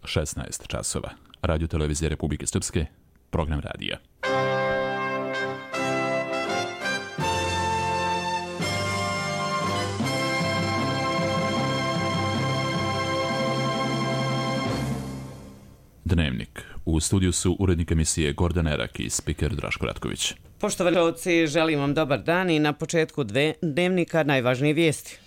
16 časova. Radio televizije Republike Srpske, program radija. Dnevnik. U studiju su urednik emisije Gordan Erak i spiker Draško Ratković. Poštovani gledalci, želim vam dobar dan i na početku dnevnika najvažnije vijesti.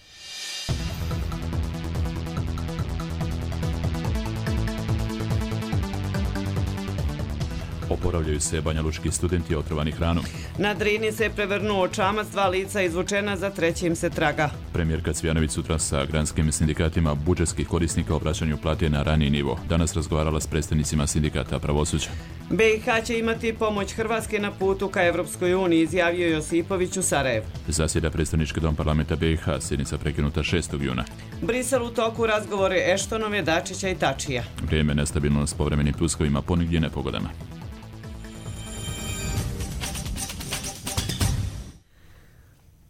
Oporavljaju se banjalučki studenti otrovani hranom. Na Drini se prevrnuo čamac, 2 lica izvučena, za trećim se traga. Premijerka Cvjanović sutra sa granskim sindikatima budžetskih korisnika o vraćanju plate na raniji nivo. Danas razgovarala s predstavnicima sindikata pravosuđa. BiH će imati pomoć Hrvatske na putu ka Evropskoj uniji, izjavio Josipović u Sarajevu. Zasjeda predstavnički dom parlamenta BiH, sjednica prekinuta 6. juna. Brisel u toku razgovore Eštonove, Dačića i Tačija. Vrijeme nestabilno s povremenim pljuskovima, ponegdje nepogodama.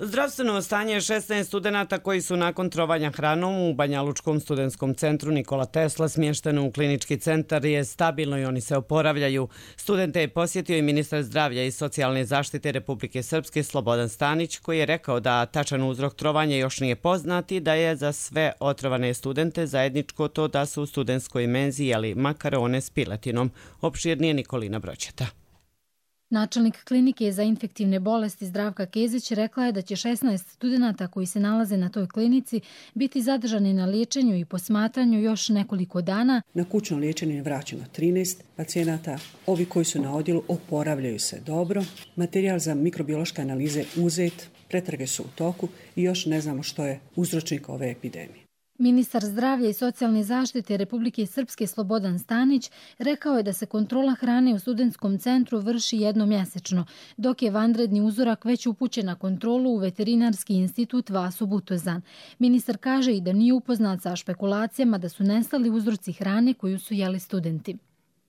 Zdravstveno stanje 16 studenata koji su nakon trovanja hranom u Banjalučkom studentskom centru Nikola Tesla smješteno u klinički centar je stabilno i oni se oporavljaju. Studente je posjetio i ministar zdravlja i socijalne zaštite Republike Srpske Slobodan Stanić, koji je rekao da tačan uzrok trovanja još nije poznat i da je za sve otrovane studente zajedničko to da su u studentskoj menzi jeli makarone s piletinom. Opširnije Nikolina Broćeta. Načelnik klinike za infektivne bolesti Zdravka Kezić rekla je da će 16 studenata koji se nalaze na toj klinici biti zadržani na liječenju i posmatranju još nekoliko dana. Na kućno liječenje je vraćeno 13 pacijenata. Ovi koji su na odjelu oporavljaju se dobro. Materijal za mikrobiološke analize uzet, pretrage su u toku i još ne znamo što je uzročnik ove epidemije. Ministar zdravlja i socijalne zaštite Republike Srpske Slobodan Stanić rekao je da se kontrola hrane u studentskom centru vrši jednomjesečno, dok je vanredni uzorak već upućen na kontrolu u Veterinarski institut Vaso Butozan. Ministar kaže i da nije upoznat sa špekulacijama da su nestali uzroci hrane koju su jeli studenti.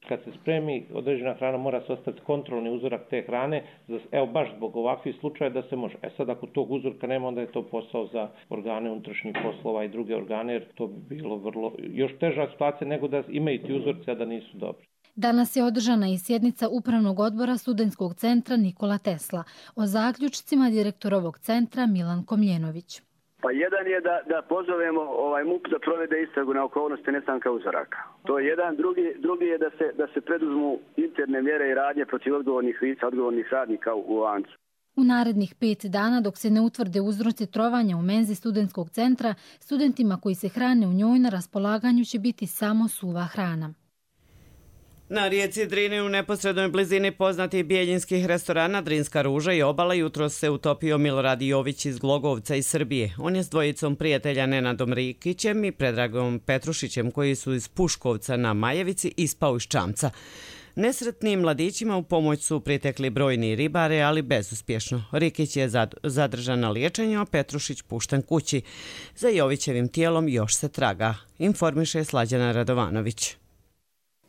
Kad se spremi određena hrana, mora se ostati kontrolni uzorak te hrane, evo baš zbog ovakvih slučaja da se može. Sad ako tog uzorka nema, onda je to posao za organe unutrašnjih poslova i druge organe, jer to bi bilo vrlo još teža situacija nego da imaju ti uzorci, a da nisu dobri. Danas je održana i sjednica Upravnog odbora studentskog centra Nikola Tesla. O zaključcima direktor ovog centra Milan Komljenović. Pa jedan je da pozovemo MUP da provede istragu na okolnosti nestanka uzoraka. To je jedan. Drugi je da se preduzmu interne mjere i radnje protiv odgovornih lica, odgovornih radnika u lancu. U narednih 5 dana, dok se ne utvrde uzroci trovanja u menzi studentskog centra, studentima koji se hrane u njoj na raspolaganju će biti samo suva hrana. Na rijeci Drini u neposrednoj blizini poznatih bijeljinskih restorana Drinska ruža i obala jutros se utopio Milorad Jović iz Glogovca iz Srbije. On je s dvojicom prijatelja Nenadom Rikićem i Predragom Petrušićem koji su iz Puškovca na Majevici ispao iz čamca. Nesretnim mladićima u pomoć su pritekli brojni ribare, ali bezuspješno. Rikić je zadržan na liječenju, a Petrušić pušten kući. Za Jovićevim tijelom još se traga, informiše Slađana Radovanović.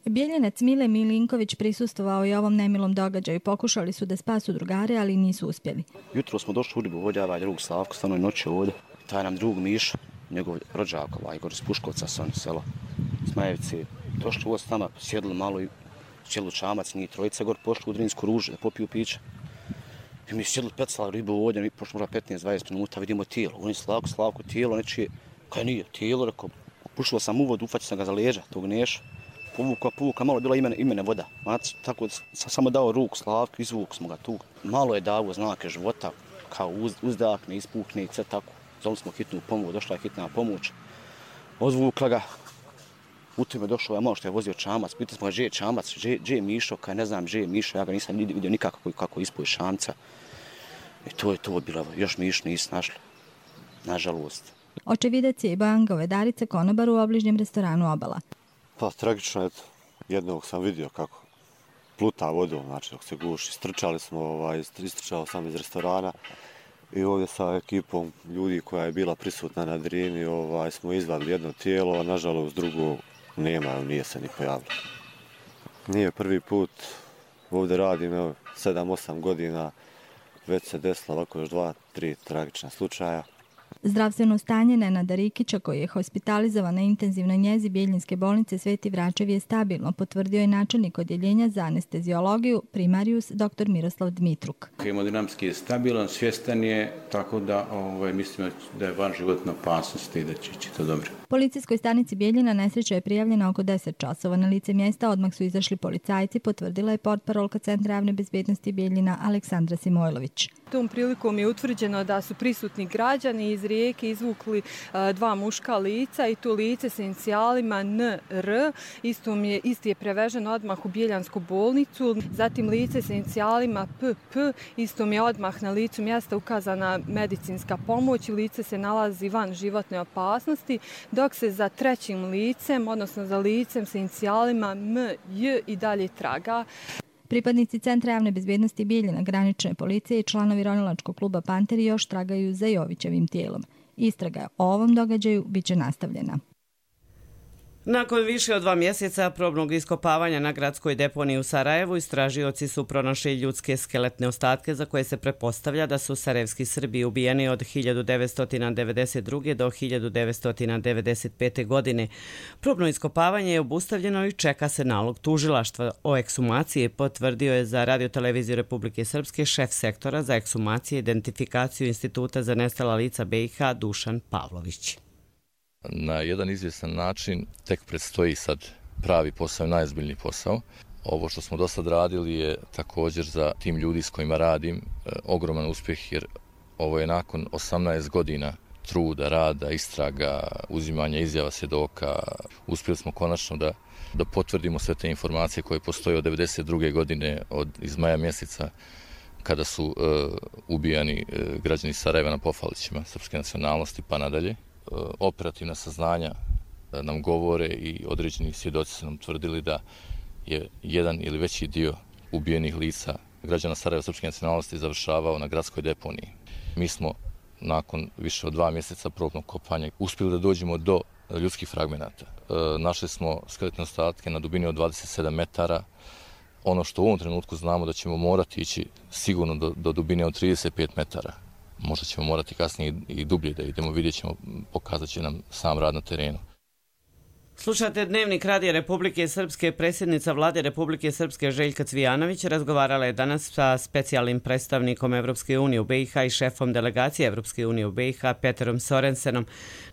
Bijeljenac Mile Milinković prisustvovao i ovom nemilom događaju. Pokušali su da spasu drugare, ali nisu uspjeli. Jutro smo došli u ribu, ovdje ovaj drug Slavko, stano je noći ovdje. Taj nam drug Miša, njegov rođak, Igor iz Puškovca, selo Smajevici. Došli ovdje s nama, sjedli malo i sjeli u čamac, njih trojica, gor pošli u Drinsku ružu da popiju piće. I mi sjedli pecali ribu ovdje, mi pošli možda 15-20 minuta, vidimo tijelo. On je Slavko, tijelo nečije, kaj nije, tijelo, rekao, pušilo sam u vodu, ufaćio sam ga za leđa, tog Neša. Povuka, malo je bila imene voda. Tako samo dao ruku Slavku, izvuk smo ga tu. Malo je dao znake života, kao uzdahne, ispuhne i sve tako. Zovili smo hitnu pomoć, došla je hitna pomoć. Odvukla ga, u tome došao malo što je vozio čamac. Pitali smo ga gdje je čamac, gdje je Mišo, kaj ne znam gdje je Mišo, ja ga nisam vidio nikako kako ispuje šamca. I to je to bilo, još Mišo nisu našli, nažalost. Očevidac je i Bojan Govedarica, konobar u obližnjem restoranu Obala. Pa tragično je, jednog sam vidio kako pluta vodom, znači dok se guši. Istrčao sam iz restorana i ovdje sa ekipom ljudi koja je bila prisutna na Drini smo izvadili jedno tijelo, a nažalost drugo nema, nije se ni pojavilo. Nije prvi put, ovdje radim 7-8 godina, već se desilo ovako još 2-3 tragična slučaja. Zdravstveno stanje Nenada Rikića, koji je hospitalizovan na intenzivnoj njezi Bjeljinske bolnice Sveti Vračev, je stabilno, potvrdio je načelnik odjeljenja za anesteziologiju primarijus dr. Miroslav Dmitruk. Hemodinamski je stabilan, svjestan je, tako da mislim da je van životna opasnost i da će ići to dobro. Policijskoj stanici Bijeljina nesreća je prijavljena oko 10 časova. Na lice mjesta odmah su izašli policajci, potvrdila je portparolka Centra javne bezbjednosti Bijeljina Aleksandra Simojlović. Tom prilikom je utvrđeno da su prisutni građani iz rijeke izvukli 2 muška lica i to lice sa inicijalima NR. Isti je prevežen odmah u Bijeljansku bolnicu. Zatim lice sa inicijalima PP. Istom je odmah na licu mjesta ukazana medicinska pomoć i lice se nalazi van životne opasnosti, dok se za trećim licem, odnosno za licem sa inicijalima MJ i dalje traga. Pripadnici Centra javne bezbjednosti Bijeljina, granične policije i članovi ronilačkog kluba Panteri još tragaju za Jovićevim tijelom. Istraga o ovom događaju biće nastavljena. Nakon više od 2 mjeseca probnog iskopavanja na gradskoj deponiji u Sarajevu, istražioci su pronašli ljudske skeletne ostatke za koje se pretpostavlja da su sarajevski Srbi ubijeni od 1992. do 1995. godine. Probno iskopavanje je obustavljeno i čeka se nalog tužilaštva o ekshumaciji, potvrdio je za Radioteleviziju Republike Srpske šef sektora za ekshumacije i identifikaciju Instituta za nestala lica BiH Dušan Pavlović. Na jedan izvjestan način tek predstoji sad pravi posao, najozbiljniji posao. Ovo što smo do sad radili je također za tim ljudi s kojima radim ogroman uspjeh, jer ovo je nakon 18 godina truda, rada, istraga, uzimanja izjava svjedoka. Uspjeli smo konačno da potvrdimo sve te informacije koje postoje od 1992. godine, iz maja mjeseca, kada su ubijani građani Sarajeva na Pofalićima srpske nacionalnosti pa nadalje. Operativna saznanja nam govore i određeni svjedoci su nam tvrdili da je jedan ili veći dio ubijenih lica građana Sarajeva srpske nacionalnosti završavao na gradskoj deponiji. Mi smo nakon više od 2 mjeseca probnog kopanja uspjeli da dođemo do ljudskih fragmenata. Našli smo skeletne ostatke na dubini od 27 metara. Ono što u ovom trenutku znamo da ćemo morati ići sigurno do dubine od 35 metara. Možda ćemo morati kasnije i dublje da idemo, vidjet ćemo, pokazat će nam sam rad na terenu. Slušate Dnevnik Radija Republike Srpske. Predsjednica Vlade Republike Srpske Željka Cvijanović razgovarala je danas sa specijalnim predstavnikom Evropske unije u BiH i šefom delegacije Evropske unije u BiH Peterom Sorensenom.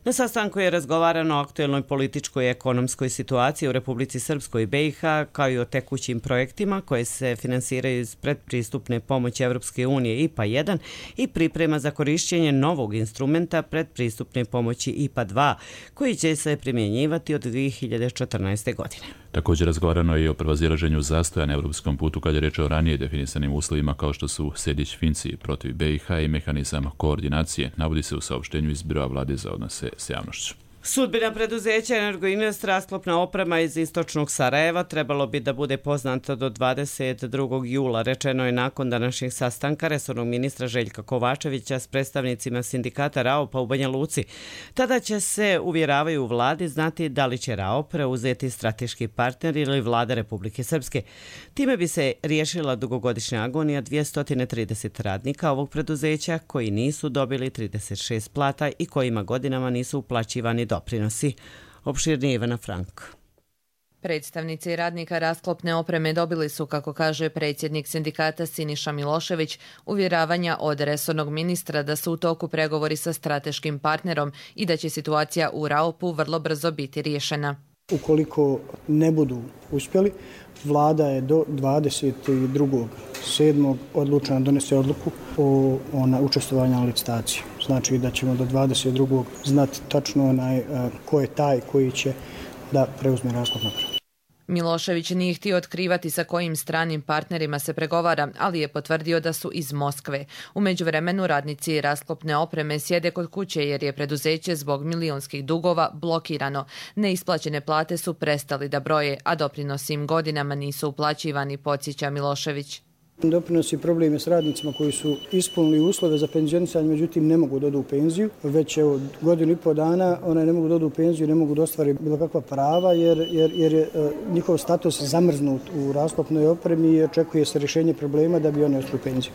Na sastanku je razgovarano o aktuelnoj političkoj i ekonomskoj situaciji u Republici Srpskoj i BiH, kao i o tekućim projektima koje se finansiraju iz predpristupne pomoći Evropske unije IPA 1 i priprema za korišćenje novog instrumenta predpristupne pomoći IPA 2, koji će se primjenjivati od 2014. godine. Također razgovarano je i o prevazilaženju zastoja na europskom putu kad je reč o ranije definisanim uslovima kao što su Sejdić Finci protiv BiH i mehanizam koordinacije, navodi se u saopštenju iz Biroa vlade za odnose s javnošću. Sudbina preduzeća Energoinvest rasklopna oprema iz istočnog Sarajeva trebalo bi da bude poznata do 22. jula, rečeno je nakon današnjeg sastanka resornog ministra Željka Kovačevića s predstavnicima sindikata RAOP-a u Banja Luci. Tada će se, uvjeravaju u vladi, znati da li će RAOP preuzeti strateški partner ili vlada Republike Srpske. Time bi se riješila dugogodišnja agonija 230 radnika ovog preduzeća koji nisu dobili 36 plata i kojima godinama nisu uplaćivani doprinosi. Opširnije Ivana Frank. Predstavnici radnika rasklopne opreme dobili su, kako kaže predsjednik sindikata Siniša Milošević, uvjeravanja od resornog ministra da su u toku pregovori sa strateškim partnerom i da će situacija u RAOP-u vrlo brzo biti riješena. Ukoliko ne budu uspjeli, vlada je do 22.7. odlučena donese odluku o učestvovanju na licitaciji. Znači da ćemo do 22. znati tačno ko je taj koji će da preuzme rasklopnu opremu. Milošević nije htio otkrivati sa kojim stranim partnerima se pregovara, ali je potvrdio da su iz Moskve. U međuvremenu radnici rasklopne opreme sjede kod kuće jer je preduzeće zbog milionskih dugova blokirano. Neisplaćene plate su prestali da broje, a doprinosi im godinama nisu uplaćivani, podsjeća Milošević. Doprinosi problem je s radnicima koji su ispunili uslove za penzionisanje, međutim ne mogu da odu u penziju. Već evo 1,5 dana ne mogu da odu u penziju, ne mogu da ostvare bilo kakva prava jer je njihov status zamrznut u rasklopnoj opremi i očekuje se rješenje problema da bi oni otišli u penziju.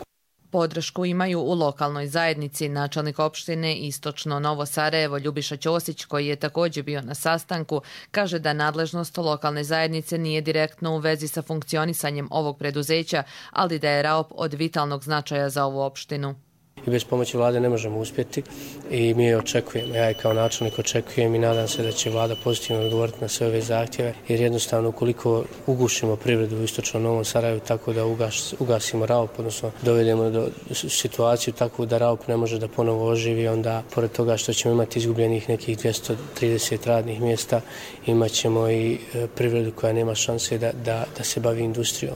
Podršku imaju u lokalnoj zajednici. Načelnik opštine Istočno Novo Sarajevo Ljubiša Ćosić, koji je također bio na sastanku, kaže da nadležnost lokalne zajednice nije direktno u vezi sa funkcionisanjem ovog preduzeća, ali da je RAOP od vitalnog značaja za ovu opštinu. I bez pomoći vlade ne možemo uspjeti i mi je očekujemo. Ja i kao načelnik očekujem i nadam se da će vlada pozitivno odgovoriti na sve ove zahtjeve, jer jednostavno ukoliko ugušimo privredu u Istočnom Novom Sarajevu tako da ugasimo RAOP, odnosno dovedemo do situaciju tako da RAOP ne može da ponovo oživi, onda pored toga što ćemo imati izgubljenih nekih 230 radnih mjesta, imat ćemo i privredu koja nema šanse da se bavi industrijom.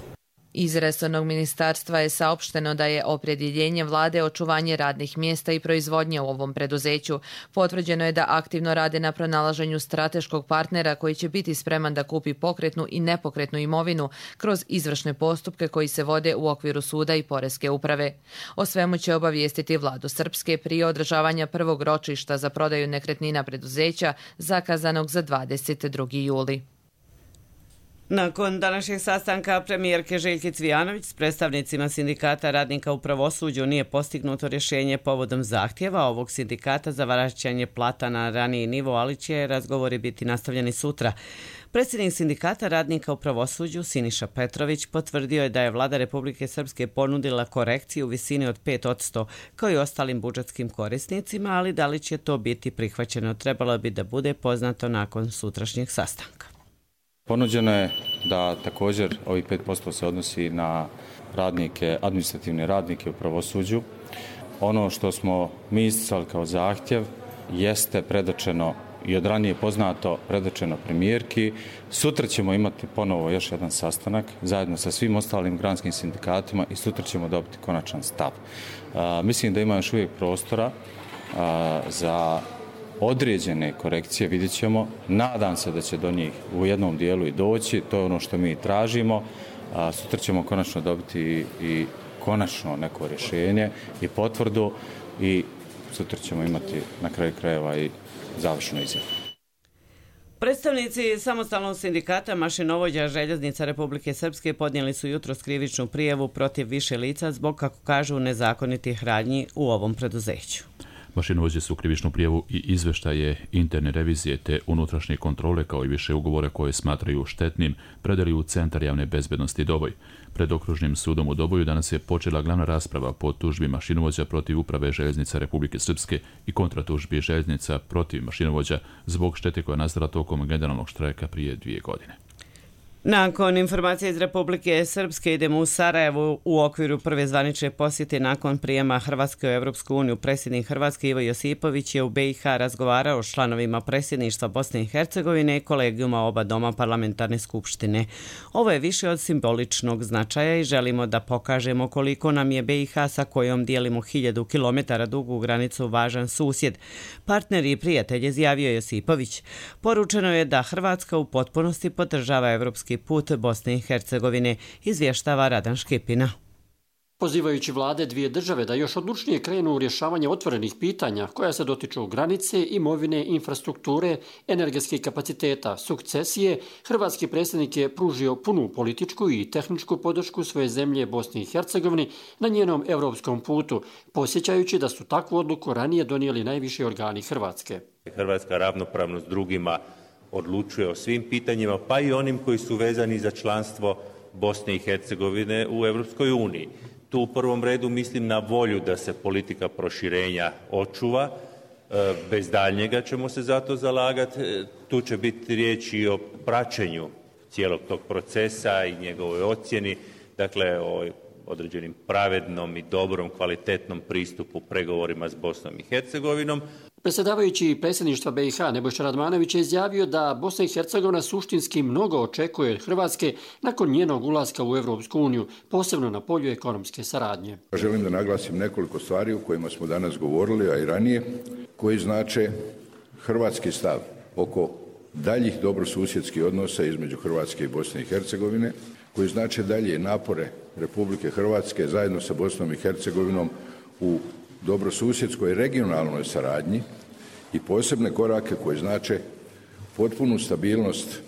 Iz resornog ministarstva je saopšteno da je opredjeljenje vlade očuvanje radnih mjesta i proizvodnje u ovom preduzeću. Potvrđeno je da aktivno rade na pronalaženju strateškog partnera koji će biti spreman da kupi pokretnu i nepokretnu imovinu kroz izvršne postupke koji se vode u okviru suda i poreske uprave. O svemu će obavijestiti vladu Srpske prije održavanja prvog ročišta za prodaju nekretnina preduzeća zakazanog za 22. juli. Nakon današnjeg sastanka premijerke Željke Cvijanović s predstavnicima sindikata radnika u pravosuđu nije postignuto rješenje povodom zahtjeva ovog sindikata za vraćanje plata na raniji nivo, ali će razgovori biti nastavljeni sutra. Predsjednik sindikata radnika u pravosuđu Siniša Petrović potvrdio je da je vlada Republike Srpske ponudila korekciju u visini od 5% kao i ostalim budžetskim korisnicima, ali da li će to biti prihvaćeno trebalo bi da bude poznato nakon sutrašnjeg sastanka. Ponuđeno je da također ovih 5% se odnosi na radnike, administrativne radnike u pravosuđu. Ono što smo mi isticali kao zahtjev jeste predočeno i od ranije poznato predočeno premijerki. Sutra ćemo imati ponovo još jedan sastanak zajedno sa svim ostalim granskim sindikatima i sutra ćemo dobiti konačan stav. Mislim da ima još uvijek prostora za određene korekcije, vidjet ćemo. Nadam se da će do njih u jednom dijelu i doći, to je ono što mi tražimo. Sutra ćemo konačno dobiti i konačno neko rješenje i potvrdu i sutra ćemo imati na kraju krajeva i završnu izjavu. Predstavnici samostalnog sindikata mašinovođa Željeznica Republike Srpske podnijeli su jutros krivičnu prijavu protiv više lica zbog, kako kažu, nezakonitih radnji u ovom preduzeću. Mašinovođe su krivičnu prijavu i izveštaje interne revizije te unutrašnje kontrole kao i više ugovora koje smatraju štetnim predali u Centar javne bezbednosti Doboj. Pred okružnim sudom u Doboju danas je počela glavna rasprava po tužbi mašinovođa protiv Uprave Željeznica Republike Srpske i kontratužbi Željeznica protiv mašinovođa zbog štete koja je nastala tokom generalnog štrajka prije 2 godine. Nakon informacije iz Republike Srpske idemo u Sarajevo u okviru prve zvanične posjete nakon prijema Hrvatske u Evropsku uniju. Predsjednik Hrvatske Ivo Josipović je u BiH razgovarao s članovima predsjedništva Bosne i Hercegovine i kolegijuma oba doma parlamentarne skupštine. Ovo je više od simboličnog značaja i želimo da pokažemo koliko nam je BiH sa kojom dijelimo 1000 kilometara dugu granicu važan susjed. Partner i prijatelj, izjavio Josipović. Poručeno je da Hrvatska u potpunosti podržava evropski put Bosne i Hercegovine, izvještava Radan Škipina. Pozivajući vlade dvije države da još odlučnije krenu u rješavanje otvorenih pitanja koja se dotiču granice, imovine, infrastrukture, energetskih kapaciteta, sukcesije, hrvatski predsjednik je pružio punu političku i tehničku podršku svoje zemlje Bosni i Hercegovini na njenom europskom putu, posjećajući da su takvu odluku ranije donijeli najviši organi Hrvatske. Hrvatska ravnopravno s drugima odlučuje o svim pitanjima, pa i onim koji su vezani za članstvo Bosne i Hercegovine u Europskoj uniji. Tu u prvom redu mislim na volju da se politika proširenja očuva, bez daljnjega ćemo se za to zalagati. Tu će biti riječ i o praćenju cijelog tog procesa i njegovoj ocjeni, dakle o određenim pravednom i dobrom, kvalitetnom pristupu pregovorima s Bosnom i Hercegovinom. Predsjedavajući predsjedništva BiH Nebojša Radmanović je izjavio da Bosna i Hercegovina suštinski mnogo očekuje od Hrvatske nakon njenog ulaska u Evropsku uniju, posebno na polju ekonomske saradnje. Želim da naglasim nekoliko stvari o kojima smo danas govorili, a i ranije, koji znače hrvatski stav oko daljih dobrosusjedskih odnosa između Hrvatske i Bosne i Hercegovine, koji znače dalje napore Republike Hrvatske zajedno sa Bosnom i Hercegovinom u dobrosusjedskoj regionalnoj saradnji i posebne korake koji znače potpunu stabilnost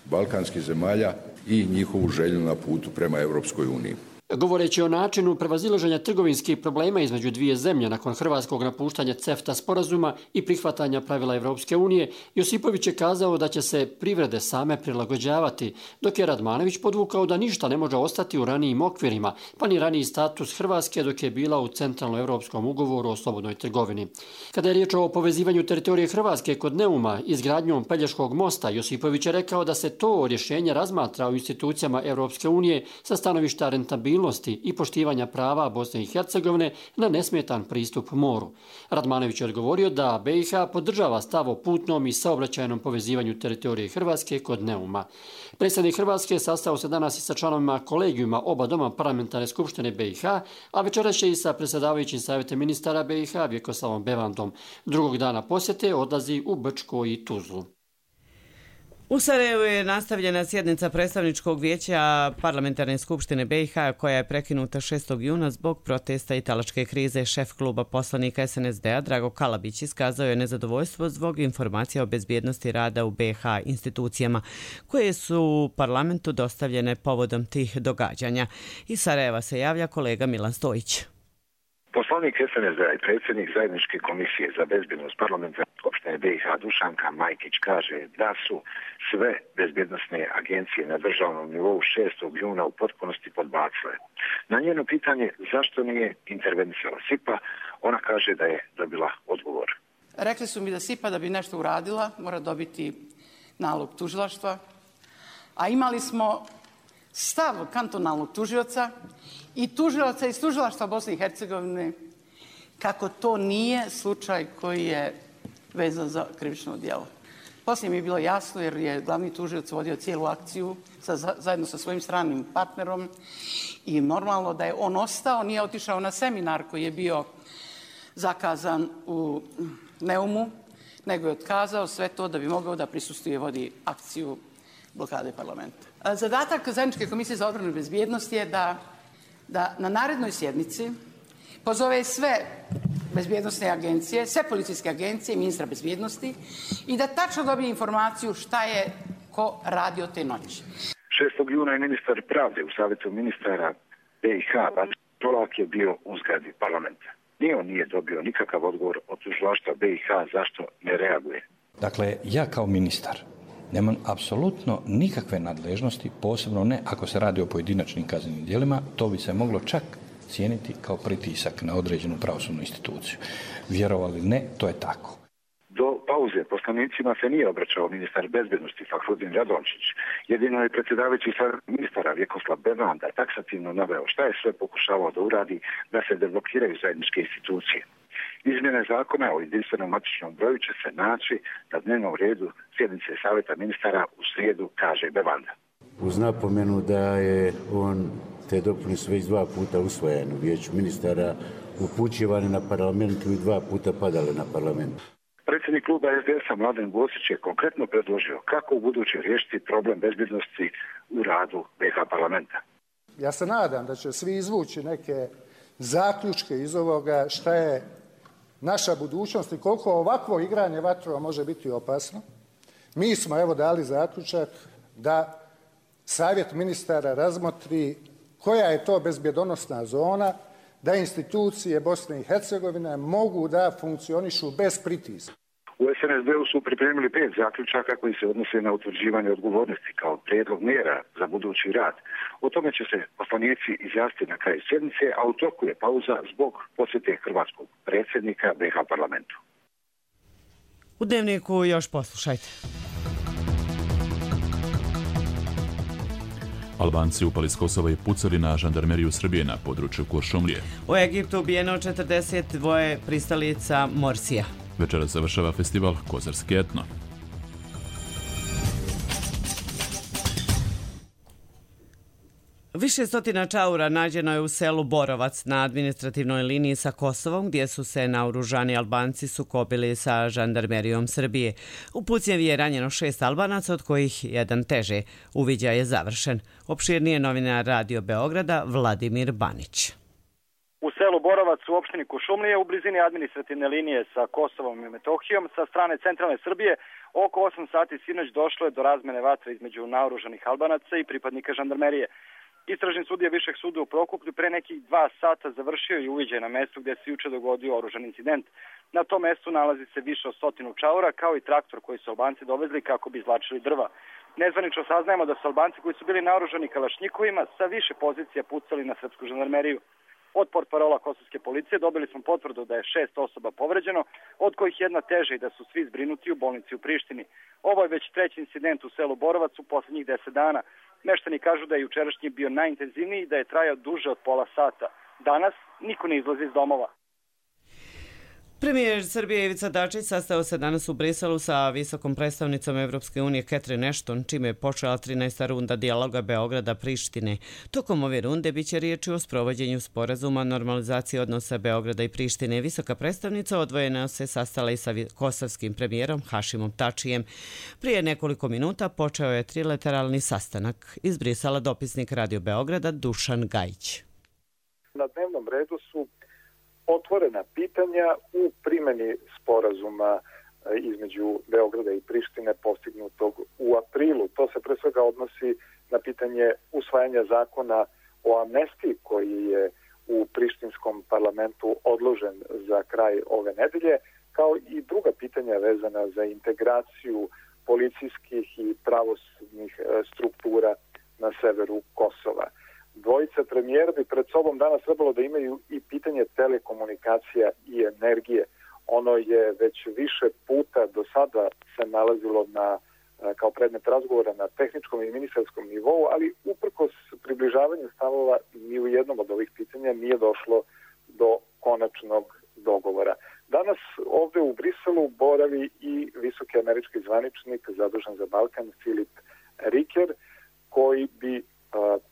balkanskih zemalja i njihovu želju na putu prema Europskoj uniji. Govoreći o načinu prevazilaženja trgovinskih problema između dvije zemlje nakon hrvatskog napuštanja CEFTA sporazuma i prihvatanja pravila Evropske unije, Josipović je kazao da će se privrede same prilagođavati, dok je Radmanović podvukao da ništa ne može ostati u ranijim okvirima, pa ni raniji status Hrvatske dok je bila u Centralnoevropskom ugovoru o slobodnoj trgovini. Kada je riječ o povezivanju teritorije Hrvatske kod Neuma izgradnjom Pelješkog mosta, Josipović je rekao da se to rješenje razmatra u institucijama Evropske unije sa stanovišta rentabilnosti i poštivanja prava Bosne i Hercegovine na nesmetan pristup moru. Radmanović je odgovorio da BiH podržava stav o putnom i saobraćajnom povezivanju teritorije Hrvatske kod Neuma. Predsjednik Hrvatske sastao se danas i sa članovima kolegijuma oba doma parlamentarne skupštine BiH, a večeras će i sa predsjedavajućim savjetom ministara BiH Vjekoslavom Bevandom. Drugog dana posjete odlazi u Brčko i Tuzlu. U Sarajevu je nastavljena sjednica predstavničkog vijeća parlamentarne skupštine BiH koja je prekinuta 6. juna zbog protesta i talačke krize. Šef kluba poslanika SNSD-a Drago Kalabić iskazao je nezadovoljstvo zbog informacija o bezbjednosti rada u BiH institucijama koje su parlamentu dostavljene povodom tih događanja. Iz Sarajeva se javlja kolega Milan Stojić. Poslanik SNSD-a i predsjednik zajedničke komisije za bezbjednost parlamentarne skupštine BiH Dušanka Majkić kaže da su sve bezbjednosne agencije na državnom nivou 6. juna u potpunosti podbacile. Na njeno pitanje zašto nije intervenisala SIPA, ona kaže da je dobila odgovor. Rekli su mi da SIPA da bi nešto uradila mora dobiti nalog tužilaštva, a imali smo stav kantonalnog tužioca i tužilaca iz tužilaštva Bosne i Hercegovine kako to nije slučaj koji je vezan za krivično djelo. Poslije mi je bilo jasno jer je glavni tužioc vodio cijelu akciju zajedno sa svojim stranim partnerom i normalno da je on ostao, nije otišao na seminar koji je bio zakazan u Neumu, nego je otkazao sve to da bi mogao da prisustvuje i vodi akciju blokade parlamenta. Zadatak zajedničke komisije za odbranu i bezbjednost je da na narednoj sjednici pozove sve bezbjednosne agencije, sve policijske agencije i ministra bezbjednosti i da tačno dobije informaciju šta je ko radio te noći. 6. juna je ministar pravde u savjetu ministara BiH Tolak je bio u zgradi parlamenta. Ni on nije dobio nikakav odgovor od tužilaštva BiH zašto ne reaguje. Dakle, ja kao ministar nemam apsolutno nikakve nadležnosti, posebno ne ako se radi o pojedinačnim kaznenim djelima, to bi se moglo čak cijeniti kao pritisak na određenu pravosudnu instituciju. Vjerovali ne, to je tako. Do pauze poslanicima se nije obraćao ministar bezbjednosti Fahrudin Radončić. Jedino je predsjedavajući ministara Vjekoslav Bevanda taksativno naveo šta je sve pokušavao da uradi da se deblokiraju zajedničke institucije. Izmjene zakona o jedinstvenom matičnom broju će se naći na dnevnom redu sjednice savjeta ministara u srijedu, kaže Bevanda. Uz napomenu da je on te dopune su već 2 puta usvojene u vijeću ministara, upućivane na parlamentu i 2 puta padale na parlamentu. Predsjednik kluba SDS-a Mladen Bosić je konkretno predložio kako u buduće riješiti problem bezbjednosti u radu BiH parlamenta. Ja se nadam da će svi izvući neke zaključke iz ovoga šta je naša budućnost i koliko ovakvo igranje vatrova može biti opasno. Mi smo evo dali zaključak da savjet ministara razmotri koja je to bezbjedonosna zona, da institucije Bosne i Hercegovine mogu da funkcionišu bez pritiska. U SNSD-u su pripremili 5 zaključaka koji se odnose na utvrđivanje odgovornosti kao prijedlog mjera za budući rad. O tome će se poslanici izjasniti na kraju sjednice, a u toku je pauza zbog posjete hrvatskog predsjednika BiH parlamentu. U Dnevniku još poslušajte. Albanci upali s Kosova i pucali na žandarmeriju Srbije na području Kuršumlije. U Egiptu ubijeno 42 pristalica Morsija. Večeras završava festival Kozarski etno. Više stotina čaura nađeno je u selu Borovac na administrativnoj liniji sa Kosovom, gdje su se naoružani Albanci sukobili sa žandarmerijom Srbije. U pucnjevi je ranjeno 6 Albanaca, od kojih jedan teže. Uviđaj je završen. Opširnije novinar Radio Beograda Vladimir Banić. U selu Borovac u opštini Kuršumlije u blizini administrativne linije sa Kosovom i Metohijom sa strane centralne Srbije oko 8 sati sinoć došlo je do razmene vatre između naoružanih Albanaca i pripadnika žandarmerije. Istražni sudija Višeg suda u Prokuplju pre nekih 2 sata završio je uviđaj na mestu gde se juče dogodio oružan incident. Na tom mestu nalazi se više od 100 čaura, kao i traktor koji su Albanci dovezli kako bi izvlačili drva. Nezvanično saznajemo da su Albanci koji su bili naoružani kalašnjikovima sa više pozicija pucali na srpsku žandarmeriju. Od portparola kosovske policije dobili smo potvrdu da je 6 osoba povređeno, od kojih jedna teže i da su svi zbrinuti u bolnici u Prištini. Ovo je već 3. incident u selu Borovac u poslednjih 10 dana. Meštani kažu da je jučerašnji bio najintenzivniji i da je trajao duže od pola sata. Danas niko ne izlazi iz domova. Premijer Srbije Ivica Dačić sastao se danas u Briselu sa visokom predstavnicom Evropske unije Catherine Ashton, čime je počela 13. runda dijaloga Beograda-Prištine. Tokom ove runde biće riječi o sprovođenju sporazuma normalizacije odnosa Beograda i Prištine. Visoka predstavnica odvojena se sastala i sa kosovskim premijerom Hašimom Tačijem. Prije nekoliko minuta počeo je trilateralni sastanak. Iz Brisela dopisnik Radio Beograda Dušan Gajić. Na dnevnom redu su otvorena pitanja u primjeni sporazuma između Beograda i Prištine postignutog u aprilu. To se pre svega odnosi na pitanje usvajanja zakona o amnestiji koji je u prištinskom parlamentu odložen za kraj ove nedelje, kao i druga pitanja vezana za integraciju policijskih i pravosudnih struktura na severu Kosova. Dvojica premijera bi pred sobom danas trebalo da imaju i pitanje telekomunikacija i energije. Ono je već više puta do sada se nalazilo kao predmet razgovora na tehničkom i ministarskom nivou, ali uprkos približavanju stavova ni u jednom od ovih pitanja nije došlo do konačnog dogovora. Danas ovde u Briselu boravi i visoki američki zvaničnik zadužen za Balkan Filip Riker, koji bi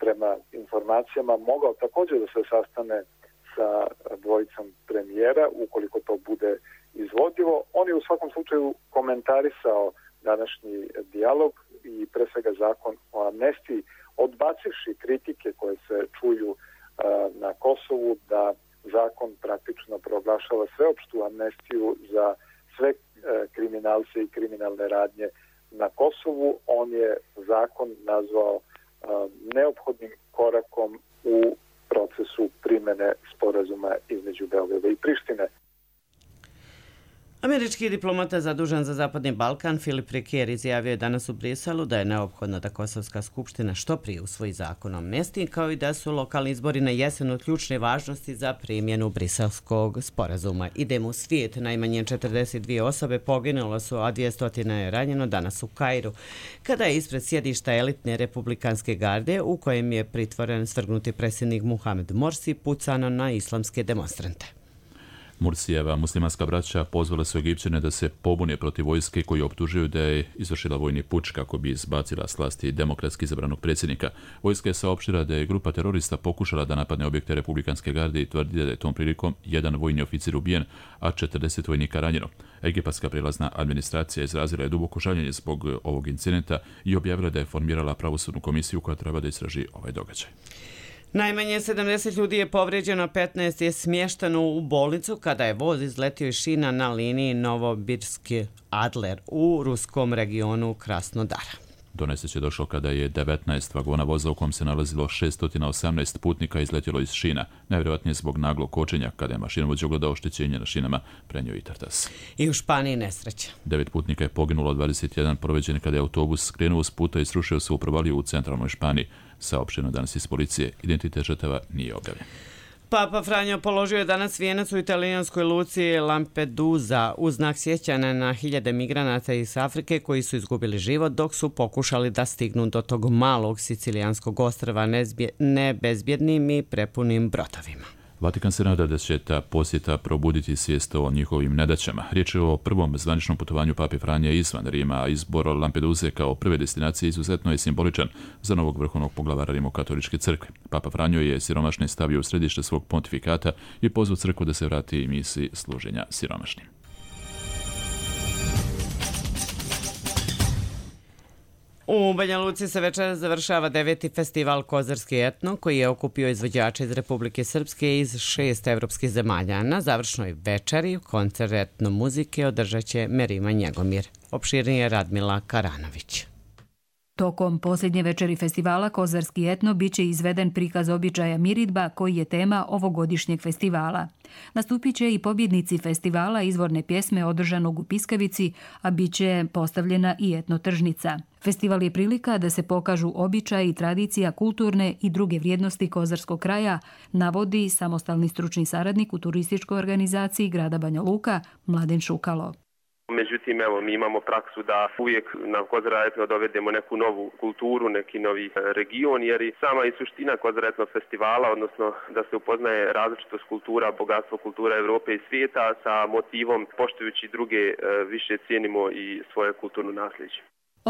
prema informacijama mogao također da se sastane sa dvojicom premijera ukoliko to bude izvodivo. On je u svakom slučaju komentarisao današnji dijalog i pre svega zakon o amnestiji, odbacivši kritike koje se čuju na Kosovu da zakon praktično proglašava sveopštu amnestiju za sve kriminalce i kriminalne radnje na Kosovu. On je zakon nazvao neophodnim korakom u procesu primjene sporazuma između Beograda i Prištine. Američki diplomata zadužen za Zapadni Balkan Filip Riker izjavio je danas u Briselu da je neophodno da Kosovska skupština što prije usvoji zakon o amnestiji, kao i da su lokalni izbori na jesen od ključne važnosti za primjenu briselskog sporazuma. Idemo u svijet. Najmanje 42 osobe poginule su, a 200 je ranjeno danas u Kairu, kada je ispred sjedišta elitne republikanske garde, u kojem je pritvoren svrgnuti predsjednik Muhamed Morsi, pucano na islamske demonstrante. Mursijeva muslimanska braća pozvala su Egipćane da se pobune protiv vojske koji optužuju da je izvršila vojni puč kako bi izbacila s vlasti demokratski izabranog predsjednika. Vojska je saopštila da je grupa terorista pokušala da napadne objekte republikanske garde i tvrdi da je tom prilikom jedan vojni oficir ubijen, a 40 vojnika ranjeno. Egipatska prijelazna administracija izrazila je duboko žaljenje zbog ovog incidenta i objavila da je formirala pravosudnu komisiju koja treba da istraži ovaj događaj. Najmanje 70 ljudi je povrijeđeno, 15 je smješteno u bolnicu kada je voz izletio iz šina na liniji Novobirski-Adler u ruskom regionu Krasnodara. Do nesreće došlo kada je 19 vagona voza u kom se nalazilo 618 putnika izletjelo iz šina, najvjerojatnije zbog naglog kočenja kada je mašinovođa ugledao oštećenje na šinama, prenio i Tartas. I u Španiji nesreća. 9 putnika je poginulo, 21 povrijeđen kada je autobus skrenuo s puta i srušio se u provaliju u centralnoj Španiji. Saopšteno danas iz policije, identitet žrtava nije objavljen. Papa Franjo položio je danas vijenac u italijanskoj luci Lampedusa u znak sjećanja na hiljade migranata iz Afrike koji su izgubili život dok su pokušali da stignu do tog malog sicilijanskog ostrva nebezbjednim i prepunim brodovima. Vatikan se nada da će ta posjeta probuditi svijest o njihovim nedaćama. Riječ je o prvom zvaničnom putovanju Pape Franje izvan Rima, a izbor Lampeduze kao prve destinacije izuzetno je simboličan za novog vrhovnog poglavara Rimokatoličke crkve. Papa Franjo je siromašne stavio u središte svog pontifikata i pozvao crkvu da se vrati misiji služenja siromašnim. U Banja Luci se večeras završava 9. festival Kozarski etno, koji je okupio izvođače iz Republike Srpske iz 6 evropskih zemalja. Na završnoj večeri koncert etno muzike održat će Merima Njegomir. Opširnije Radmila Karanović. Tokom posljednje večeri festivala Kozarski etno biće izveden prikaz običaja miridba koji je tema ovogodišnjeg festivala. Nastupit će i pobjednici festivala izvorne pjesme održanog u Piskavici, a bit će postavljena i etno tržnica. Festival je prilika da se pokažu običaji, tradicija, kulturne i druge vrijednosti kozarskog kraja, navodi samostalni stručni saradnik u turističkoj organizaciji grada Banja Luka Mladen Šukalo. Međutim, mi imamo praksu da uvijek na Kozara etno dovedemo neku novu kulturu, neki novi region, jer i sama i suština Kozara etno festivala, odnosno da se upoznaje različitost kultura, bogatstvo kultura Evrope i svijeta sa motivom poštujući druge više cijenimo i svoje kulturno nasljeđe.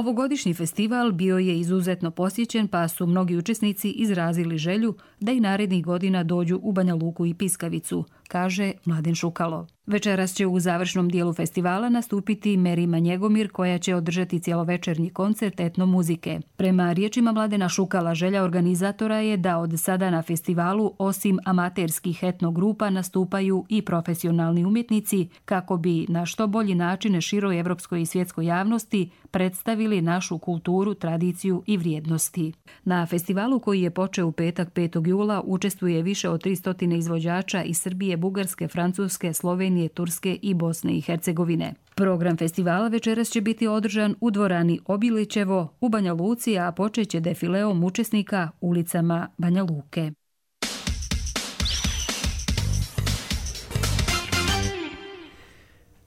Ovogodišnji festival bio je izuzetno posjećen, pa su mnogi učesnici izrazili želju da i narednih godina dođu u Banja Luku i Piskavicu, kaže Mladen Šukalo. Večeras će u završnom dijelu festivala nastupiti Merima Njegomir, koja će održati cjelovečernji koncert etno muzike. Prema riječima Mladena Šukala, želja organizatora je da od sada na festivalu osim amaterskih etno grupa nastupaju i profesionalni umjetnici kako bi na što bolji način široj evropskoj i svjetskoj javnosti predstavili našu kulturu, tradiciju i vrijednosti. Na festivalu koji je počeo u petak 5. jula učestvuje više od 300 izvođača iz Srbije, Bugarske, Francuske, Slovenije, Turske i Bosne i Hercegovine. Program festivala večeras će biti održan u dvorani Obilićevo u Banja Luci, a počeće defileom učesnika ulicama Banja Luke.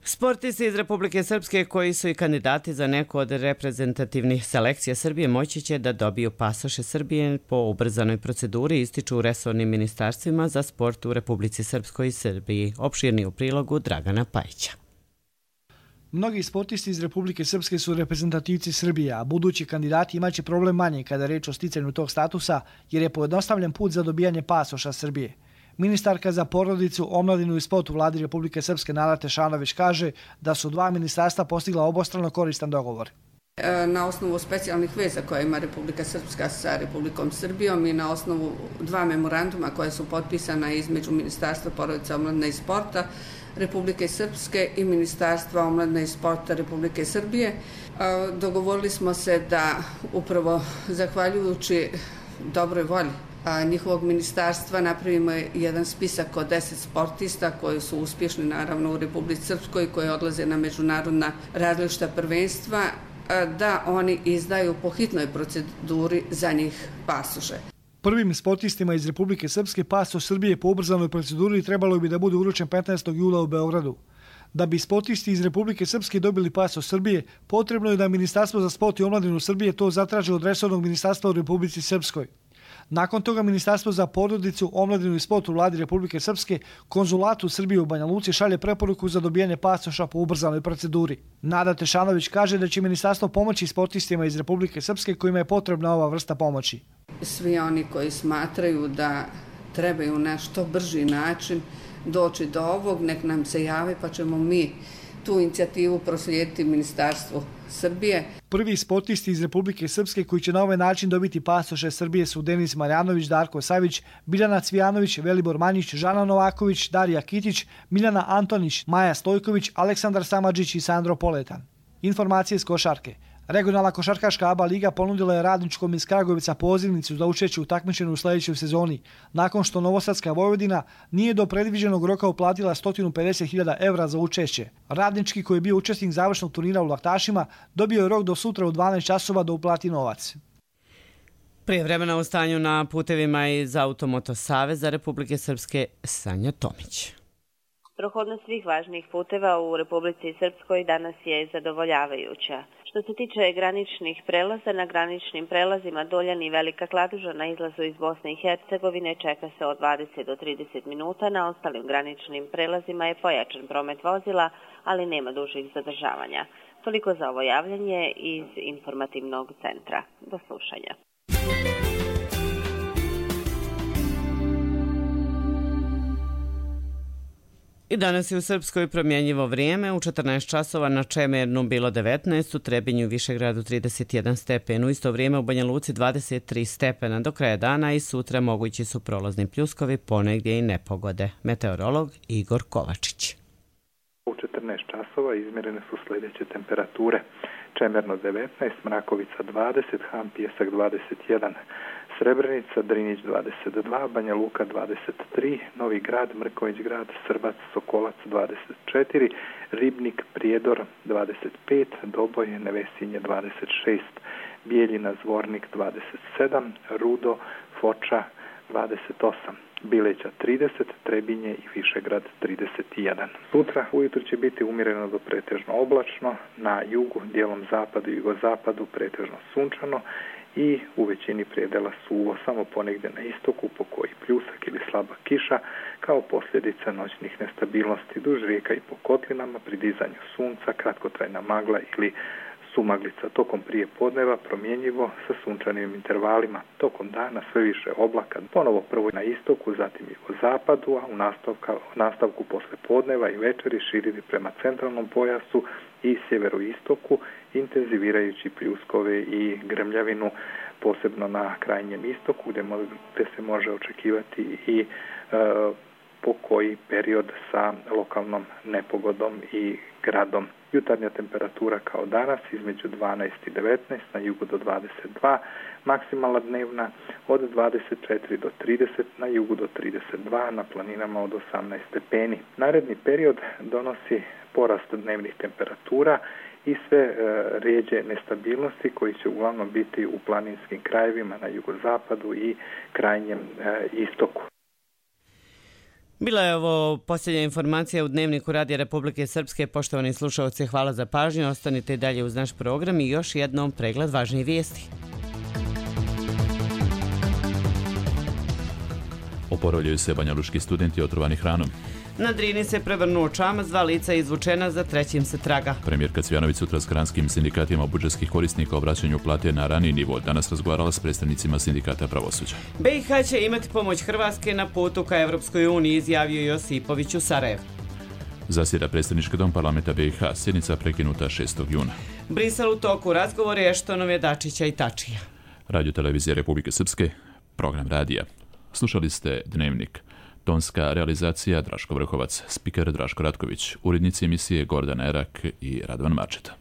Sportisti iz Republike Srpske koji su i kandidati za neku od reprezentativnih selekcija Srbije moći će da dobiju pasoše Srbije po ubrzanoj proceduri, ističu u resornim ministarstvima za sport u Republici Srpskoj i Srbiji. Opširni u prilogu Dragana Pajića. Mnogi sportisti iz Republike Srpske su reprezentativci Srbije, a budući kandidati imaće problem manje kada je reč o sticanju tog statusa, jer je pojednostavljen put za dobijanje pasoša Srbije. Ministarka za porodicu, omladinu i sport u vladi Republike Srpske Nada Tešanović kaže da su dva ministarstva postigla obostrano koristan dogovor. Na osnovu specijalnih veza koje ima Republika Srpska sa Republikom Srbijom i na osnovu dva memoranduma koje su potpisana između Ministarstva porodice, omladine i sporta Republike Srpske i Ministarstva omladine i sporta Republike Srbije, dogovorili smo se da upravo zahvaljujući dobroj volji njihovog ministarstva napravimo jedan spisak od 10 sportista koji su uspješni naravno u Republici Srpskoj, koji odlaze na međunarodna različita prvenstva, da oni izdaju po hitnoj proceduri za njih pasoše. Prvim sportistima iz Republike Srpske pasoš Srbije po ubrzanoj proceduri trebalo bi da bude uručen 15. jula u Beogradu. Da bi sportisti iz Republike Srpske dobili pasoš Srbije, potrebno je da Ministarstvo za sport i omladinu Srbije to zatraži od resornog ministarstva u Republici Srpskoj. Nakon toga Ministarstvo za porodicu, omladinu i sport u vladi Republike Srpske konzulatu Srbije u Banja Luci šalje preporuku za dobijanje pasoša po ubrzanoj proceduri. Nada Tešanović kaže da će ministarstvo pomoći sportistima iz Republike Srpske kojima je potrebna ova vrsta pomoći. Svi oni koji smatraju da trebaju na što brži način doći do ovog, nek nam se jave pa ćemo mi tu inicijativu proslijediti Ministarstvu Srbije. Prvi sportisti iz Republike Srpske koji će na ovaj način dobiti pasoše Srbije su Denis Marjanović, Darko Savić, Biljana Cvijanović, Velibor Manjić, Žana Novaković, Darija Kitić, Miljana Antonić, Maja Stojković, Aleksandar Samadžić i Sandro Poletan. Informacije iz košarke. Regionalna košarkaška ABA liga ponudila je Radničkom iz Kragujevaca pozivnicu za učešće u takmičenju u sljedećoj sezoni, nakon što Novosadska Vojvodina nije do predviđenog roka uplatila 150.000 evra za učešće. Radnički, koji je bio učesnik završnog turnira u Laktašima, dobio je rok do sutra u 12 časova da uplati novac. Prije vremena u stanju na putevima iz Automoto Saveza Republike Srpske Sanja Tomić. Prohodnost svih važnijih puteva u Republici Srpskoj danas je zadovoljavajuća. Što se tiče graničnih prelaza, na graničnim prelazima Doljan i Velika Kladuža na izlazu iz Bosne i Hercegovine čeka se od 20 do 30 minuta, na ostalim graničnim prelazima je pojačan promet vozila, ali nema dužih zadržavanja. Toliko za ovo javljanje iz informativnog centra. Do slušanja. I danas je u Srpskoj promjenjivo vrijeme, u 14 časova na Čemernu bilo 19, u Trebinju i Višegradu 31 stepen, u isto vrijeme u Banja Luci 23 stepena, do kraja dana i sutra mogući su prolazni pljuskovi, ponegdje i nepogode. Meteorolog Igor Kovačić. U 14 časova izmjerene su sljedeće temperature. Čemerno 19, Mrakovica 20, Han Pijesak 21, Srebrenica, Drinić 22, Banja Luka 23, Novi Grad, Mrković Grad, Srbac, Sokolac 24, Ribnik, Prijedor 25, Doboj, Nevesinje 26, Bijeljina, Zvornik 27, Rudo, Foča 28, Bileća 30, Trebinje i Višegrad 31. Sutra ujutro će biti umjereno do pretežno oblačno, na jugu, dijelom zapadu i jugozapadu pretežno sunčano i u većini predela suvo, samo ponegdje na istoku po koji pljusak ili slaba kiša kao posljedica noćnih nestabilnosti duž rijeka i po kotlinama pri dizanju sunca, kratkotrajna magla ili sumaglica. Tokom prije podneva promjenjivo sa sunčanim intervalima. Tokom dana sve više oblaka, ponovo prvo na istoku, zatim jugozapadu, a u nastavku posle podneva i večeri širiti prema centralnom pojasu i sjeveroistoku, intenzivirajući pljuskove i grmljavinu, posebno na krajnjem istoku, gdje se može očekivati i po koji period sa lokalnom nepogodom i gradom. Jutarnja temperatura kao danas između 12 i 19, na jugu do 22, maksimalna dnevna od 24 do 30, na jugu do 32, na planinama od 18 stepeni. Naredni period donosi porast dnevnih temperatura i sve rijeđe nestabilnosti koji će uglavnom biti u planinskim krajevima na jugozapadu i krajnjem istoku. Bila je ovo posljednja informacija u Dnevniku Radija Republike Srpske. Poštovani slušalci, hvala za pažnju. Ostanite dalje uz naš program i još jednom pregled važnijih vijesti. Oporavljaju se banjaluški studenti otrovani hranom. Na Drini se prevrnuo čamac, 2 lica izvučena, za trećim se traga. Premijerka Cvjanović sutra s granskim sindikatima budžetskih korisnika o vraćanju plate na raniji nivo danas razgovarala s predstavnicima sindikata pravosuđa. BiH će imati pomoć Hrvatske na putu ka Evropskoj uniji, izjavio Josipović u Sarajevu. Zasjeda predsjednički dom parlamenta BiH, sjednica prekinuta 6. juna. Brisel u toku, razgovori Eštonove, Dačića i Tačija. Radio televizije Republike Srpske, program radija. Slušali ste Dnevnik. Tonska realizacija Draško Vrhovac, spiker Draško Ratković, urednici emisije Gordana Erak i Radovan Mačeta.